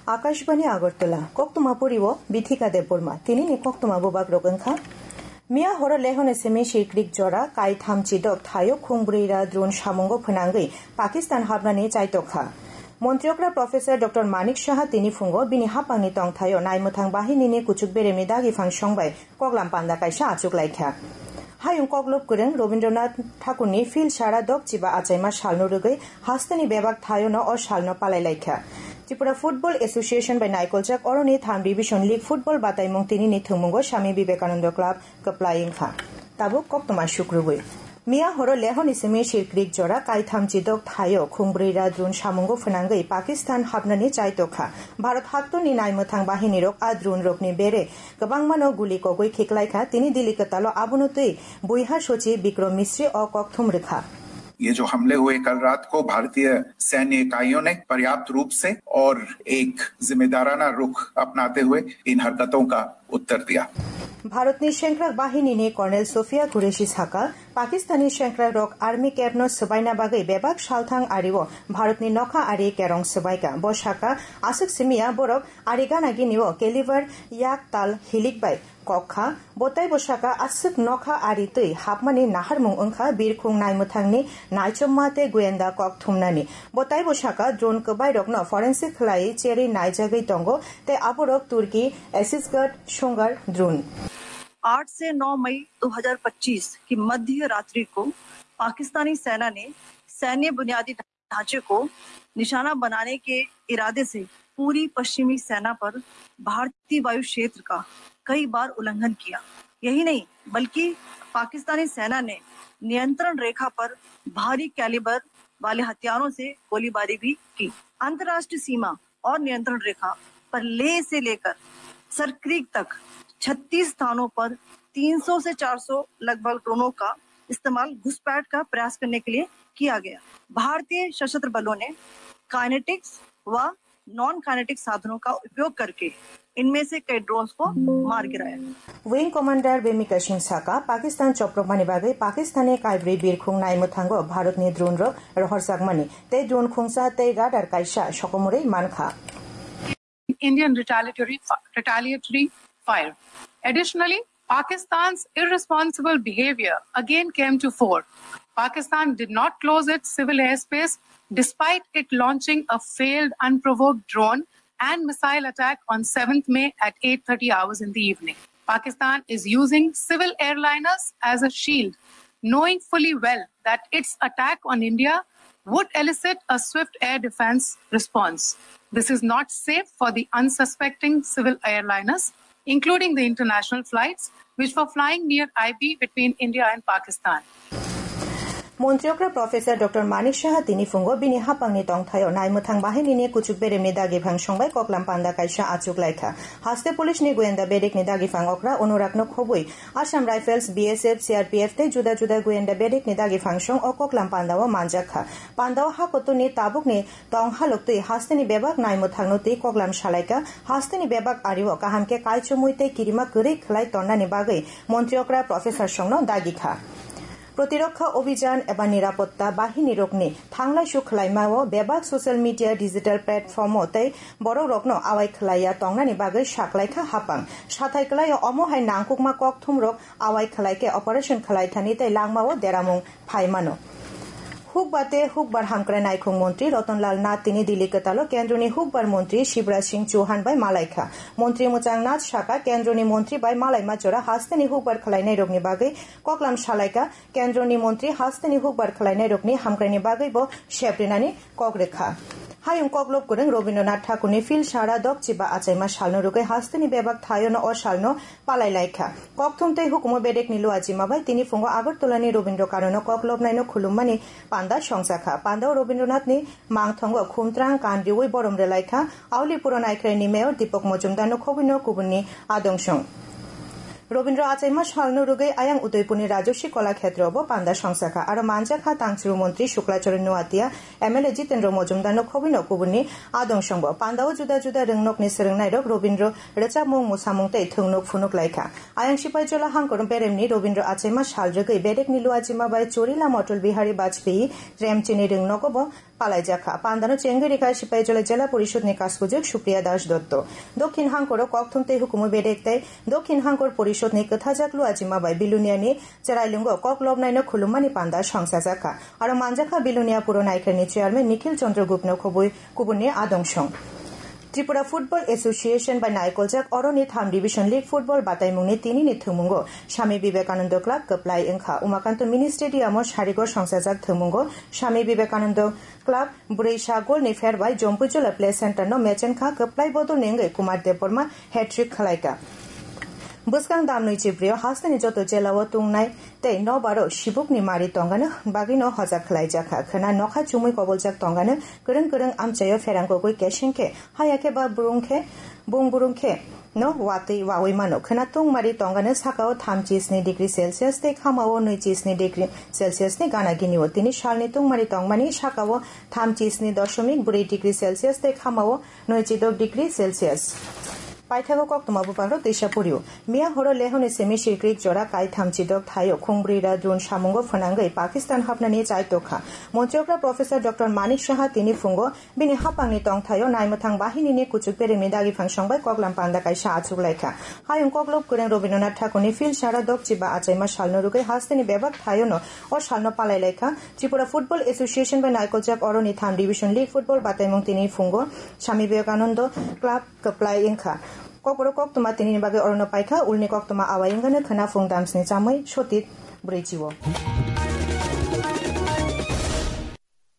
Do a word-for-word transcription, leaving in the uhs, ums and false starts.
Akashbani Agartala, koktwma poriwo Bithika Debbarma, tinini koktwma bubak rok wngkha. Miya horo Lehoni simi Shirkrik jora, kaitham chidok thayo khungbrwi ra drone samungo phwnangwi Pakistan hapnani chaitokha. Montri okra Professor Doctor Manik Saha tini phungo bini hapangni tongthaio naimwthang bahinini kuchuk beremni dagi phangsong bai koklam panda kaisa achuk laikha. Hayung koklop kwrwng Rabindranath Thakurni phil sara dok chiba achaima salno rwgwi hasteni bebak thaiono o salno palai laikha. Tripura Football Association bai naikoljak oroni tham Division League football bataimung tinini thwngmungo Swami Vivekananda Club kwplai wngkha. Tabuk koktwma sukrubwi. Miya horo Lehoni simi Shirkrik jora kaitham chidok thaio khungbrwi ra drone samungo phwnangwi Pakistan hapnani chaitokha. Bharat haktorni naimwthang bahinirok a drone rokni bere kwbangmano guli kogwi khiklaikha. Tini Delhi kwtalo abono twi buiha sochi Bikram Misri o kokthum rwkha. ये जो हमले हुए कल रात को, भारतीय सैन्य इकाइयों ने पर्याप्त रूप से और एक जिम्मेदाराना रुख अपनाते हुए इन हरकतों का उत्तर दिया। Bharatni sengkrak bahinini Colonel Sofia Qureshi saka, Pakistani sengkrak rok army camp no swbaina bagwi bebak salthang ario Bharatni nokha ari kerong swbaika. Bo saka, aswk simiya borok ari gana gini o caliber yak tal hilik bai kok kha. Bo taibo saka, aswk nokha ari twi hapmani naharmung wngkha birkhung naimwthangni naichomma tei goyenda kok thumnani. Bo taibo saka, drone kwbairokno forensic khlaiwi cherwi naijagwi tongo tei aborok Turkey Aegis Guard songar drone. आठ से नौ मई दो हज़ार पच्चीस की मध्य रात्रि को पाकिस्तानी सेना ने सैन्य बुनियादी ढांचे को निशाना बनाने के इरादे से पूरी पश्चिमी सेना पर भारतीय वायु क्षेत्र का कई बार उल्लंघन किया। यही नहीं, बल्कि पाकिस्तानी सेना ने नियंत्रण रेखा पर भारी कैलिबर वाले हथियारों से गोलीबारी भी की। अंतर्राष्ट्रीय सीमा और नियंत्रण रेखा पर लेह से लेकर सरक्रीक तक छत्तीस स्थानों पर तीन सौ से चार सौ लगभग ड्रोनों का इस्तेमाल घुसपैठ का प्रयास करने के लिए किया गया। भारतीय सशस्त्र बलों ने काइनेटिक्स व नॉन काइनेटिक साधनों का उपयोग करके इनमें से कई ड्रोन्स को मार गिराया। Wing Commander Bhimika Singh saka, Pakistan chopropmani bagwi Pakistani kaibrwi birkhung naimwthango Bharatni drone rok rohorjakmani tei drone khungsa tei radar kaisa sokomorwi mankha. Indian retaliatory fi-, retaliatory fire. Additionally, Pakistan's irresponsible behavior again came to fore. Pakistan did not close its civil airspace despite it launching a failed unprovoked drone and missile attack on seventh May at eight thirty hours in the evening. Pakistan is using civil airliners as a shield, knowing fully well that its attack on India would elicit a swift air defense response. This is not safe for the unsuspecting civil airliners, including the international flights which were flying near I B between India and Pakistan. Montri okra Professor Doctor Manik Saha tini phungo bini hapangni tongthaio naimwthang bahinini kuchuk beremni dagi phang songbai koklam panda kaisa achuk laikha. Haste police ni goyenda bedekni dagi phang okra Anurag no khobwi Assam Rifles, B S F, C R P F tei juda juda goyenda bedekni dagi phang song o koklam pandao manjak kha. Pandao hakotuni tabukni tong halok twi hasteni bebak naimwthangno twi koklam salaika. Hasteni bebak ario kaham khe kaichomwi tei kirima kwrwi khlai tonnani bagwi montri okra Professor songno dagi kha. Protirokha Obhijan eba Nirapotta Bahini rokni thanglaisu khwlaimao bebak social media, digital platform o tei borok rokno awai khwlaiya tongnani bagwi saklaikha hapang. Sathai kwlaio omo hai nangkukma kokthum rok awai khwlaikhe operation khwlaithani tei langmao deramung phaimano. Hukba tei hukbar hamkrai naikhung montri Ratan Lal Nath tini Delhi kwtalo kendroni hukbar montri Shivraj Singh Chauhan bai malaikha. Montri mwchang Nath saka kendroni montri bai malaima jora hasteni hukbar khwlainairokni bagwi koklam salaika. Kendroni montri hasteni hukbar khwlainairokni hamkraini bagwibo sep rinani kok rwkha. Hayung koklop kwrwng Rabindranath Thakurni phil sara dok chiba achaima salno rwgwi hasteni bebak thaiono o salno palai laikha. Kokthum tei hukumu bedekni luachima bai tini phungo Agartalani Rabindra Kanono koklopnaino khulummani panda songchakha. Pandao Rabindranathni mangthongo khumtrang kan riwi borom rwlaikha. Aulipuro naikhlaini mayor Deepak Majumdarno khobwino kubunni adongsong. Robindra achaima salno rwgwi ayang Udaipurni Rajaswi Kola Khetrobo panda songchakha. Aro manjakha tangchuru montri Shuklacharan Noatia, M L A Jitendra Mojumdarno khobwino kubunni adong songbo. Pandao juda juda rwngnokni swrwngnairok Robindra rwchapmung, musamung tei thwngnuk phunuk laikha. Ayang Sipaijola hangkor beremni Robindra achaima sal rwgwi bedekni luajima bai Chorila Motul Bihari Bajpayee Tremchini rwngnogobo palaijakha. Pandano chengwi rikha Sipaijola Jela Porishod ni kaskujuk Supriya Das Dotto. Dokhin hangkoro kokthum tei hukumu bedek tei Dokhin hangkor porishod ni kwthajak luajima bai Bilonia ni Cherailungo kok lobnaino khulummani panda songchajakha. Aro manjakha Bilonia Puro Naikharni chairman Nikhil Chandra Guptano khobwi kubunni adongshong. Tripura Football Association bai naikoljak oroni tham Division League Football bataimungni tinini thwngmungo Swami Vivekananda Club kwplai wngkha. Umakanto Mini Stadium o sarigo songchajak thwngmungo Swami Vivekananda Club brwi sa goal ni pher bai Jompuijola Play Center no mechenkha, kwplai bodol ni wngwi Kumar Debbarma hat-trick khwlaikha. Bwskang dam nwi chibrio hasteni joto jela o tungnai tei nokbar o sibuk ni mari tongani bagwi no hojak khwlaijakha. Khwna nokha chumui koboljak tongani kwrwng kwrwng amchai o pherang kogwi keseng khe haya khe ba burung khe bung burung khe no watwi wawi mano. Khwna tungmari tongani saka o thamchi sni degree Celsius tei khama o nwichi sni degree Celsius ni gana gini o. Tini salni tungmari tongmani saka o thamchi sni doshomik brwi degree Celsius tei khama o nwichi dok degree Celsius. Paithago koktwma buphangrok twisa poriwo. Miya horo Lehoni simi Shirkrik jora kai thamchi dok thaio khungbrwi ra drone samungo phwnangwi Pakistan hapnani chai tokha. Montri okra Professor Doctor Manik Saha tini phungo bini hapangni tongthaio naimwthang bahinini kuchuk beremni dagi phangsong bai koklam panda kaisa achuk laikha. Hayung koklop kwrwng Rabindranath Thakurni phil sara dokchiba achaima salno rwgwi hasteni bebak thaiono o salno palai laikha. Tripura Football Association bai naikoljak oroni tham Division League Football bataimung tini phungo Swami Vivekananda Club kwplai wngkha. Kokborok koktwma tinini bagwi orono paikha, ulni koktwma awai wngano khwna phung damsni chamwi sotit brwichi o.